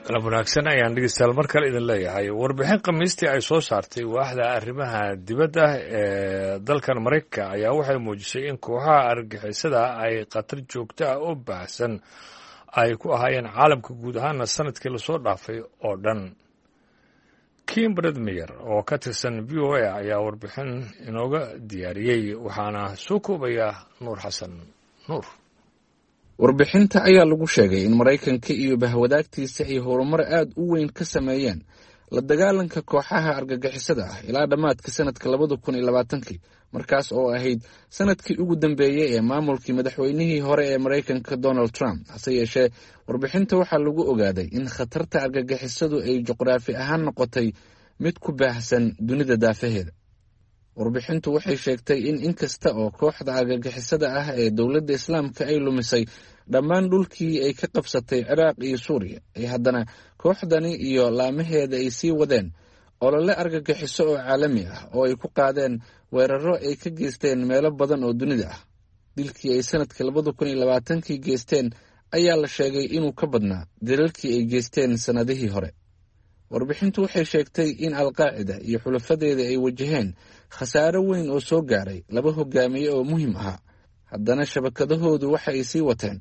Galab wanaagsan ayaan dhegeystayaal mar kale idin leeyahay. Warbixin Khamiistii ay soo saartay waaxda arrimaha dibadda ee dalkan Maraykanka ayaa waxay muujisay in kooxaha argagixisada ay khatar joogto ah oo baahsan ay ku ahaayeen caalamka guud ahaana sanadkii lasoo dhaafay oo dhan. Kim Bredmeyer oo ka tirsan VOA ayaa warbixin inooga diyaariyey, waxaana soo koobaya Nuur Xasan Nuur. Warbixinta ayaa lagu sheegay in Maraykanka iyo bahwadaagtiisa ay horumar aad u weyn ka sameeyeen la dagaalanka kooxaha argagixisada ah ilaa dhammaadka sanadka 2020-kii, markaas oo ahayd sanadkii ugu dambeeyey ee maamulkii madaxweynihii hore ee Maraykanka, Donald Trump. Hase yeeshee, warbixinta waxaa lagu ogaaday in khatarta argagixisadu ay juqraafi ahaan noqotay mid ku baahsan dunida daafaheeda. Warbixintu waxay sheegtay in inkasta oo kooxda argagixisada ah ee Dowladda Islaamka ay lumisay dhammaan dhulkii ay ka qabsatay Ciraaq iyo Suuriya, ay haddana kooxdani iyo laamaheeda ay sii wadeen olole argagixiso oo caalami ah oo ay ku qaadeen weeraro ay ka geysteen meelo badan oo dunida ah. Dilkii ay sanadkii 2020-kii geysteen ayaa la sheegay inuu ka badnaa dilalkii ay geysteen sannadihii hore. Warbixintu waxay sheegtay in Alqaacida iyo xulafadeeda ay wajaheen khasaaro weyn oo soo gaaray laba hogaamiye oo muhiim ahaa, haddana shabakadahoodu waxa ay sii wateen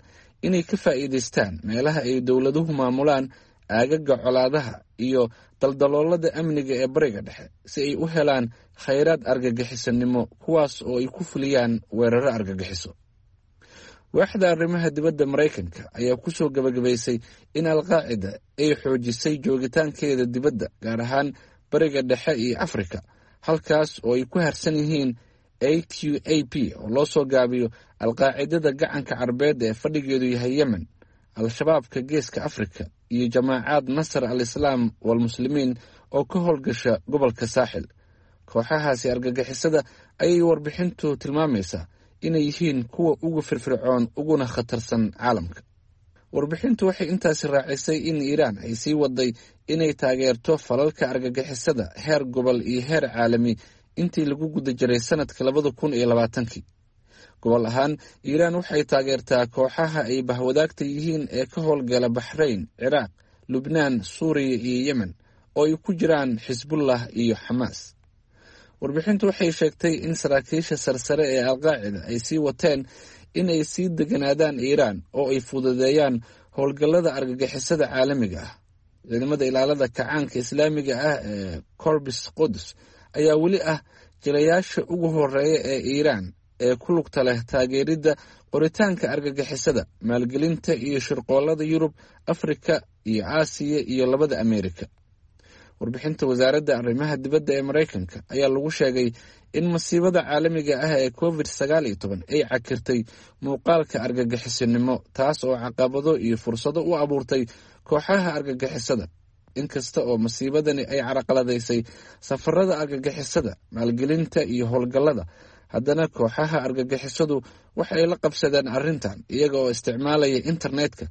inay ka faa'iidaystaan meelaha ay dowladuhu maamulaan, aagaga colaadaha iyo daldaloolada amniga ee Bariga Dhexe, si ay u helaan khayraad argagixisanimo, kuwaas oo ay ku fuliyaan weeraro argagixiso. Waaxda arrimaha dibadda Maraykanka ayaa ku soo gabagabaysay in Alqaacida ay xoojisay joogitaankeeda dibadda, gaar ahaan Bariga Dhexe iyo Afrika, halkaas oo ay ku harsan yihiin AQAP, oo loo soo gaabiyo Alqaacidada Gacanka Carbeed ee fadhigeedu yahay Yemen, Al-Shabaabka Geeska Afrika iyo Jamaacaad Nasar al Islaam walMuslimiin oo ka howlgasha gobolka Saaxil. Kooxahaasi argagixisada ayay warbixintu tilmaamaysaa inay yihiin kuwa ugu firfircoon uguna khatarsan caalamka. Warbixintu waxay intaasi raacisay in Iiraan ay sii waday inay taageerto falalka argagixisada heer gobol iyo heer caalami intii lagu guda jiray sanadka 2020-kii. Gobol ahaan, Iiraan waxay taageertaa kooxaha ay bahwadaagta yihiin ee ka howlgala Baxrayn, Ciraaq, Lubnaan, Suuriya iyo Yemen, oo ay ku jiraan Xisbullah iyo Xamaas. Warbixintu waxay sheegtay in saraakiisha sarsare ee Alqaacida ay sii wateen in ay sii deganaadaan Iiraan oo ay fududeeyaan howlgallada argagixisada caalamiga ah. Ciidamada Ilaalada Kacaanka Islaamiga ah ee Corbis Quds ayaa weli ah jilayaasha ugu horeeya ee Iiraan ee ku lugta leh taageeridda qoritaanka argagixisada, maalgelinta iyo shirqoolada Yurub, Afrika iyo Aasiya iyo labada Ameerika. Warbixinta wasaaradda arrimaha dibadda ee Maraykanka ayaa lagu sheegay in masiibada caalamiga ah ee COVID-19 ay cakirtay muuqaalka argagixisinimo, taas oo caqabado iyo fursado u abuurtay kooxaha argagixisada. Inkasta oo masiibadani ay caraqaladaysay safarada argagixisada, maalgelinta iyo howlgallada, haddana kooxaha argagixisadu waxay la qabsadeen arrintan iyaga oo isticmaalaya internetka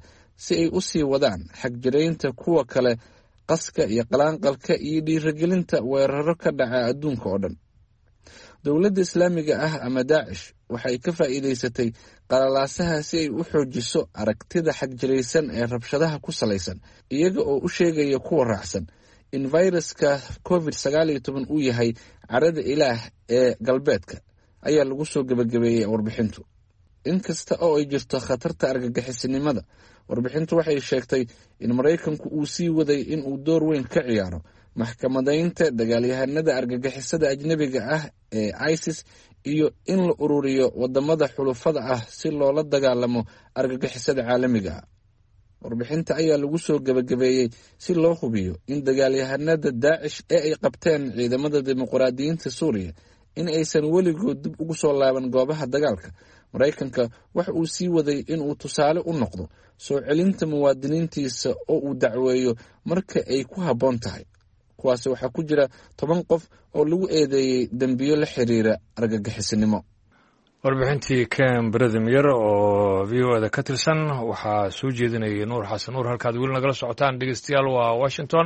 si ay u sii wadaan xagjiraynta kuwa kale, qaska iyo qalaanqalka iyo dhiirigelinta weeraro ka dhaca adduunka oo dhan. Dowladda Islaamiga ah ama Daacish waxay ka faa'iidaysatay qalalaasaha si ay u xoojiso aragtida xagjiraysan ee rabshadaha ku salaysan, iyaga oo u sheegaya kuwa raacsan in fayraska COVID-19 uu yahay carada Ilaah ee galbeedka, ayaa lagu soo gebagabeeyey warbixintu. Inkasta oo ay jirto khatarta argagixisinimada, warbixintu waxay sheegtay in Maraykanku uu sii waday in uu door weyn ka ciyaaro maxkamadaynta dagaalyahanada argagixisada ajnebiga ah ee ISIS iyo in la ururiyo wadamada xulufada ah si loola dagaalamo argagixisada caalamiga ah. Warbixinta ayaa lagu soo gebagabeeyey: si loo hubiyo in dagaalyahanada Daacish ee ay qabteen ciidamada dimuqraadiyiinta Suuriya in aysan weligood dib ugu soo laaban goobaha dagaalka, Maraykanka waxa uu sii waday inuu tusaale u noqdo soo celinta muwaadiniintiisa oo uu dacweeyo marka ay ku habboon tahay. Kuwaasi waxaa ku jira 10 qof oo lagu eedeeyey dembiyo la xiriira argagixisinimo. Warbixintii Ken Bredemyer oo VOA da ka tirsan waxaa soo jeedinayay Nuur Xasan Nuur. Halkaad weli nagala socotaan, dhegeystayaal, waa Washington.